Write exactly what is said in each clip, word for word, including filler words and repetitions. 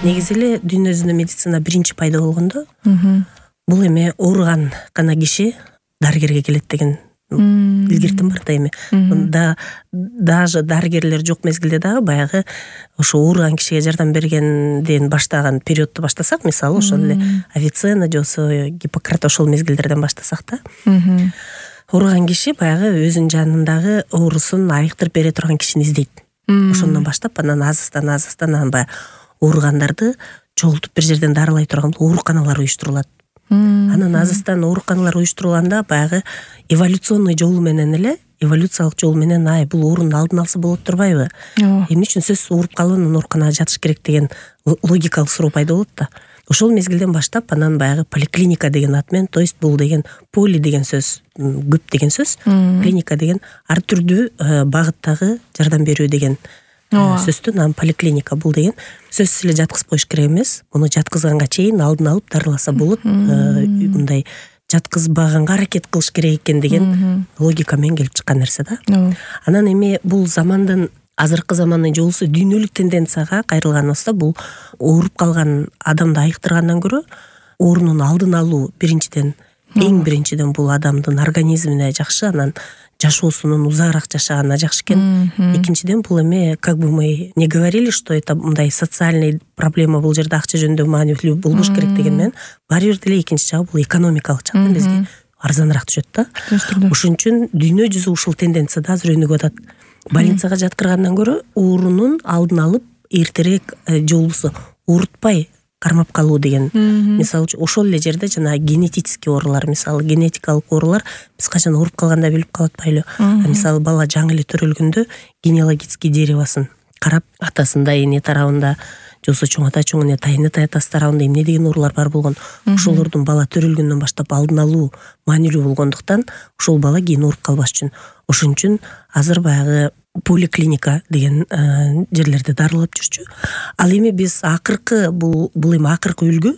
негизи эле дүйнө жүзүндө медицина биринчи пайда болгондо бул эме ооруган гана киши дарыгерге келет деген илгертим бар да эми. Да даже дарыгерлер жок мезгилде дагы баягы ошо ооруган кишиге жардам бергенден баштаган периодду баштасак, мисалы ошол эле Авиценна же болбосо Гиппократ ошол мезгилдерден баштасак да. Ооруган киши баягы өзүнүн жанындагы оорусун айыктырып бере турган кишини издейт. Ошондон баштап анан азыстан азыстан анан баягы ооругандарды чогултуп бир жерден дарылай турган ооруканалар уюштурулат. Анан азыстан ооруканалар уюштурулганда баягы эволюционный жолу менен эле, эволюциялык жол менен ай бул оорунун алдын алса болот турбайбы? Эмне үчүн сөзсүз ооруп калып анан ооруканага жатыш керек деген логикалык суроо пайда болот да. Ошол мезгилден баштап анан баягы поликлиника деген ат менен, то есть бул деген поли деген сөз, көп деген сөз, клиника деген ар түрдүү багыттагы жардам берүү деген сөздүн, анан поликлиника бул деген сөзсүз эле жаткызып коюш керек эмес. Муну жаткызганга чейин алдын алып дарыласа болот. Мындай жаткызбаганга аракет кылыш керек экен деген логика менен келип чыккан нерсе да. Анан эми бул замандын азыркы замандын жолусу дүйнөлүк тенденцияга кайрылганыбызда бул ооруп калган адамды айыктыргандан көрө оорунун алдын алуу биринчиден, эң биринчиден бул адамдын организмине жакшы, анан жашоосунун узаагыраак жашаганына жакшы экен. Экинчиден бул эме, как бы мы не говорили, что это мындай социальный проблема, бул жерде акча жөнүндө маанилүү болбош керек деген менен баары бир деле экинчи жагы бул экономикалык жактан бизге арзаныраак түшөт да. Ошон үчүн дүйнө жүзү ушул тенденцияда азыр өнүгүп атат. Больницага жаткыргандан көрө оорунун алдын алып эртерээк жолусу оорутпай кармап калуу деген. Мисалы үчүн ошол эле жерде жана генетический оорулар, мисалы генетикалык оорулар биз качан ооруп калганда билип калып атпайлы. Мисалы бала жаңы эле төрөлгөндө генеалогический деревосын карап, атасында эне тарабында же болбосо чоң ата чоң эне тайын ата атасы тарабында эмне деген оорулар бар болгон, ошолордун бала төрөлгөндөн баштап алдын алуу маанилүү болгондуктан ошол бала кийин ооруп калбаш үчүн. Ошон үчүн азыр баягы поликлиника деген жерлерде дарылап жүрчү. Ал эми биз акыркы бул бул эми акыркы үлгү,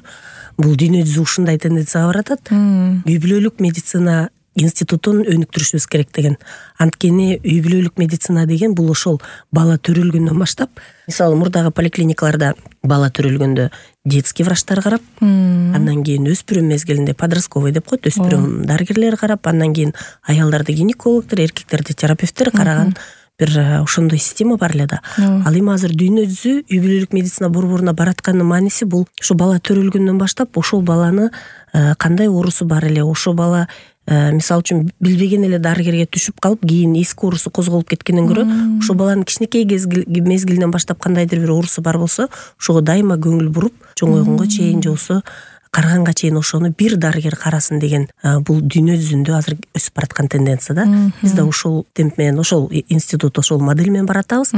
бул дүйнө жүзү ушундай тенденцияга баратат. Үй бүлөлүк медицина институтун өнүктүрүшүбүз керек деген. Анткени үй бүлөлүк медицина деген бул ошол бала төрөлгөндөн баштап, мисалы мурдагы поликлиникаларда бала төрөлгөндө детский врачтар карап, андан кийин өспүрүм мезгилинде подростковый деп коет, өспүрүм дарыгерлер карап, андан кийин аялдарды гинекологдор, эркектерди терапевттер караган бир ошондой система бар эле да. Ал эми азыр дүйнө жүзү үй бүлөлүк медицина борборуна баратканын мааниси бул ошо бала төрөлгөндөн баштап ошол баланы кандай оорусу бар эле, ошо бала мисалы үчүн билбеген эле дарыгерге түшүп калып, кийин эски оорусу козголуп кеткенден көрө, ошо баланын кичинекей мезгилинен баштап кандайдыр бир оорусу бар болсо, ошого дайыма көңүл буруп, чоңойгонго чейин же болбосо караганга чейин ошону бир дарыгер карасын деген бул дүйнө жүзүндө азыр өсүп бараткан тенденция да. Биз да ошол темп менен, ошол институт, ошол модель менен баратабыз.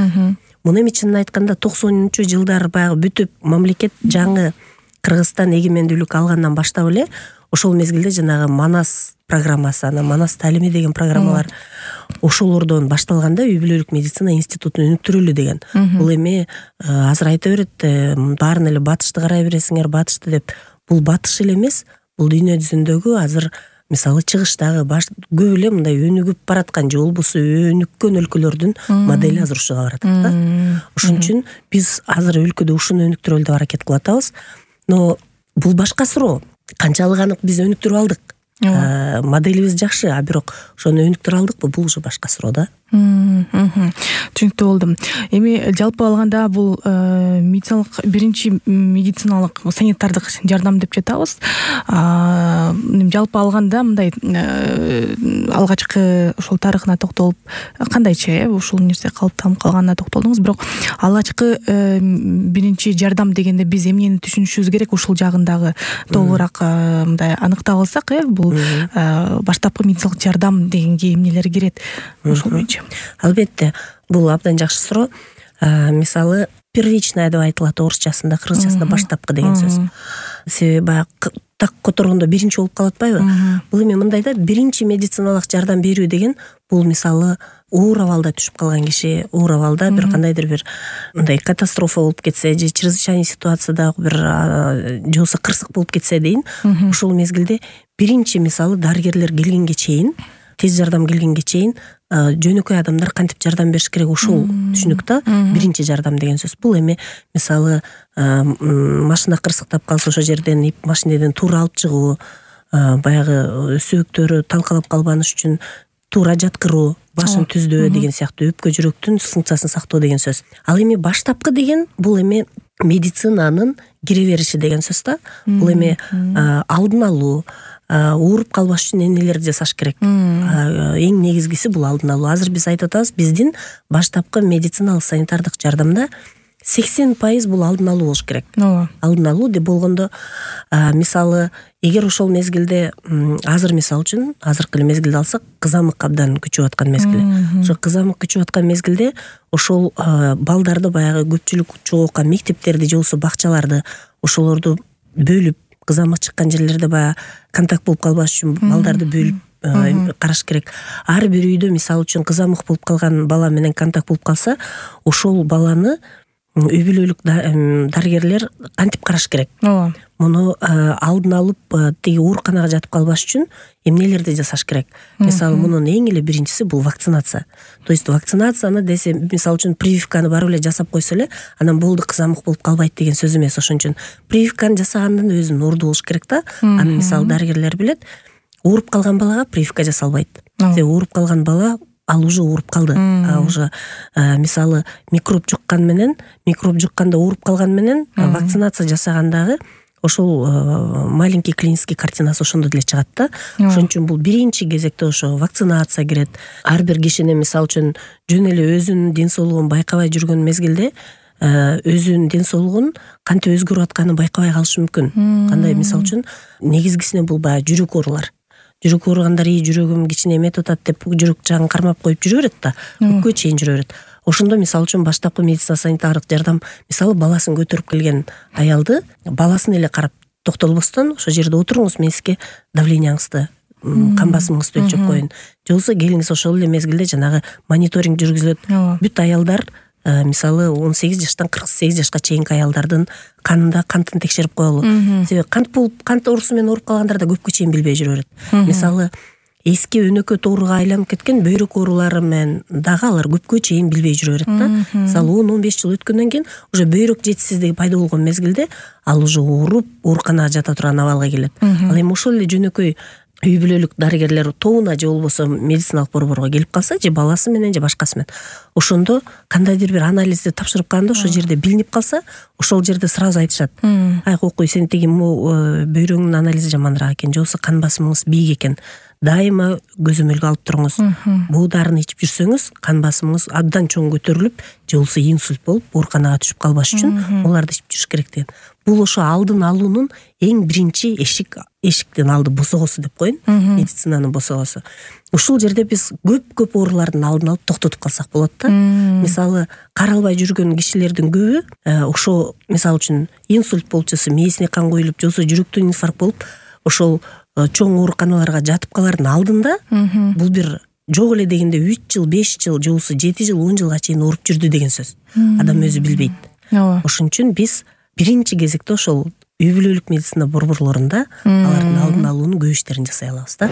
Муну эми чынын айтканда токсонунчу жылдар баягы бүтүп, мамлекет жаңы Кыргызстан эгемендүүлүк алгандан баштап эле ошол мезгилде жанагы Манас программасы, анан Манас таалими деген программалар ошолордон башталганда үй бүлөлүк медицина институтун өнүктүрөлү деген. Бул эми азыр айта берет, баарын эле батышты карай бересиңер, батышты деп. Бул батыш эле эмес, бул дүйнө жүзүндөгү азыр мисалы чыгыштагы баш көп эле мындай өнүгүп бараткан же болбосо өнүккөн өлкөлөрдүн модели азыр ушуга баратат да. Ошон үчүн биз азыр өлкөдө ушуну өнүктүрөлү деп аракет кылып атабыз. Но бул башка суроо. Канчалык анык биз өнүктүрүп алдык? Моделибиз жакшы, а бирок ошону өнүктүрө алдыкпы? Бул уже башка суроо да. Түшүнүктүү болдум. Эми жалпы алганда бул медициналык биринчи медициналык санитардык жардам деп жатабыз. Жалпы алганда мындай алгачкы ошол тарыхына токтолуп, кандайча ушул нерсе калыптанып калганына токтолдуңуз, бирок алгачкы биринчи жардам дегенде биз эмнени түшүнүшүбүз керек? Ушул жагындагы толугураак мындай аныктап алсак, э, бул баштапкы медициналык жардам дегенге эмнелер кирет? Ошол боюнча. Албетте, бул абдан жакшы суроо. Мисалы, первичная деп айтылат орусчасында, кыргызчасында баштапкы деген сөз. Себеби баягы так которгондо биринчи болуп калып атпайбы? Бул эми мындай да, биринчи медициналык жардам берүү деген бул мисалы оор абалда түшүп калган киши, оор абалда бир кандайдыр бир мындай катастрофа болуп кетсе же чрезвычайный ситуацияда бир же болбосо кырсык болуп кетсе дейин, ошол мезгилде биринчи мисалы дарыгерлер келгенге чейин тез жардам келгенге чейин жөнөкөй адамдар кантип жардам бериш керек, ушул түшүнүк да биринчи жардам деген сөз. Бул эми мисалы машина кырсыктап калса ошол жерден ип машинеден туура алып чыгуу, баягы сөөктөрү талкалап калбаныш үчүн туура жаткыруу, башын түздөө деген сыяктуу өпкө жүрөктүн функциясын сактоо деген сөз. Ал эми баштапкы деген бул эми медицинанын кире бериши деген сөз да. Бул эми алдын алуу, ооруп калбаш үчүн эмнелерди жасаш керек. Эң негизгиси бул алдын алуу. Азыр биз айтып атабыз, биздин баштапкы медициналык санитардык жардамда сексен пайыз бул алдын алуу болуш керек. Алдын алуу деп болгондо, мисалы, эгер ошол мезгилде, азыр мисалы үчүн, азыркы эле мезгилди алсак, кызамык абдан күчүп аткан мезгил. Ошо кызамык күчүп аткан мезгилде ошол балдарды, баягы көпчүлүк чогулган мектептерди же болбосо бакчаларды, ошолорду бөлүп, кызамык чыккан жерлерде баягы контакт болуп калбаш үчүн балдарды бөлүп караш керек. Ар бир үйдө мисалы үчүн кызамык болуп калган бала менен контакт болуп калса, ошол баланы үй бүлөлүк дарыгерлер кантип караш керек. Ооба. Муну алдын алып, тиги ооруканага жатып калбаш үчүн эмнелерди жасаш керек? Мисалы, мунун эң эле биринчиси бул вакцинация. То есть вакцинацияны десе, мисалы үчүн прививканы барып эле жасап койсо эле, анан болду, кызамык болуп калбайт деген сөз эмес. Ошон үчүн прививканы жасаганын өзүнүн орду болуш керек да. Аны мисалы дарыгерлер билет, ооруп калган балага прививка жасалбайт. Себеби ооруп калган бала ал уже ооруп калды. А уже мисалы микроб жуккан менен, микроб жукканда ооруп калган менен вакцинация жасагандагы ошол маленький клинический картинасы ошондо деле чыгат да. Ошон үчүн бул биринчи кезекте ошо вакцинация кирет. Ар бир кишини мисалы үчүн жөн эле өзүнүн ден соолугун байкабай жүргөн мезгилде өзүнүн ден соолугун кантип өзгөрүп атканын байкабай калышы мүмкүн. Кандай, мисалы үчүн негизгисине бул баягы жүрөк оорулар. Жүрөк ооругандар ии жүрөгүм кичине эметип атат деп жүрөк жагын кармап коюп жүрө берет да, көпкө чейин жүрө берет. Ошондо мисалы үчүн баштапкы медицина санитардык жардам, мисалы, баласын көтөрүп келген аялды баласын эле карап токтолбостон, ошол жерде отуруңуз, мен сизге давлениеңизди, кан басымыңызды өлчөп коеюн. Же болбосо келиңиз, ошол эле мезгилде жанагы мониторинг жүргүзүлөт. Бүт аялдар, мисалы, он сегиз жаштан кырк сегиз жашка чейинки аялдардын канында кантын текшерип коелу. Себеби кант болуп, кант оорусу менен ооруп калгандар да көпкө чейин билбей жүрө берет. Мисалы, эски өнөкөт ооруга айланып кеткен бөйрөк оорулары менен дагы алар көпкө чейин билбей жүрө берет да. Мисалы, он он беш жыл өткөндөн кийин уже бөйрөк жетишсиздиги пайда болгон мезгилде ал уже ооруп, ооруканага жата турган абалга келет. Ал эми ошол эле жөнөкөй үй бүлөлүк дарыгерлер тобуна же болбосо медициналык борборго келип калса, же баласы менен же башкасы менен, ошондо кандайдыр бир анализди тапшырып калганда ошол жерде билинип калса, ошол жерде сразу айтышат. Ай кокуй, сен тиги бөйрөгүңдүн анализи жаманыраак экен, же болбосо кан басымыңыз бийик экен. Дайыма көзөмөлгө алып туруңуз. Бул дарыны ичип жүрсөңүз, кан басымыңыз абдан чоң көтөрүлүп, же болбосо инсульт болуп, ооруканага түшүп калбаш үчүн оларды ичип жүрүш керек деген. Бул ошо алдын алуунун эң биринчи эшик, эшиктин алды босогосу деп коеюн, медицинанын босогосу. Ушул жерде биз көп-көп оорулардын алдын алып токтотуп калсак болот да. Мисалы, каралбай жүргөн кишилердин көбү ошо, мисалы үчүн, инсульт болуп жатса, мээсине кан коюлуп, же болбосо жүрөктөн инфаркт болуп, ошол чоң ооруканаларга жатып калардын алдында бул бир жок эле дегенде үч жыл, беш жыл, же болбосо жети жыл, он жылга чейин ооруп жүрдү деген сөз. Адам өзү билбейт. Ошон үчүн биз биринчи кезекте ошол үй бүлөлүк медицина борборлорунда алардын алдын алуунун көп иштерин жасай алабыз да.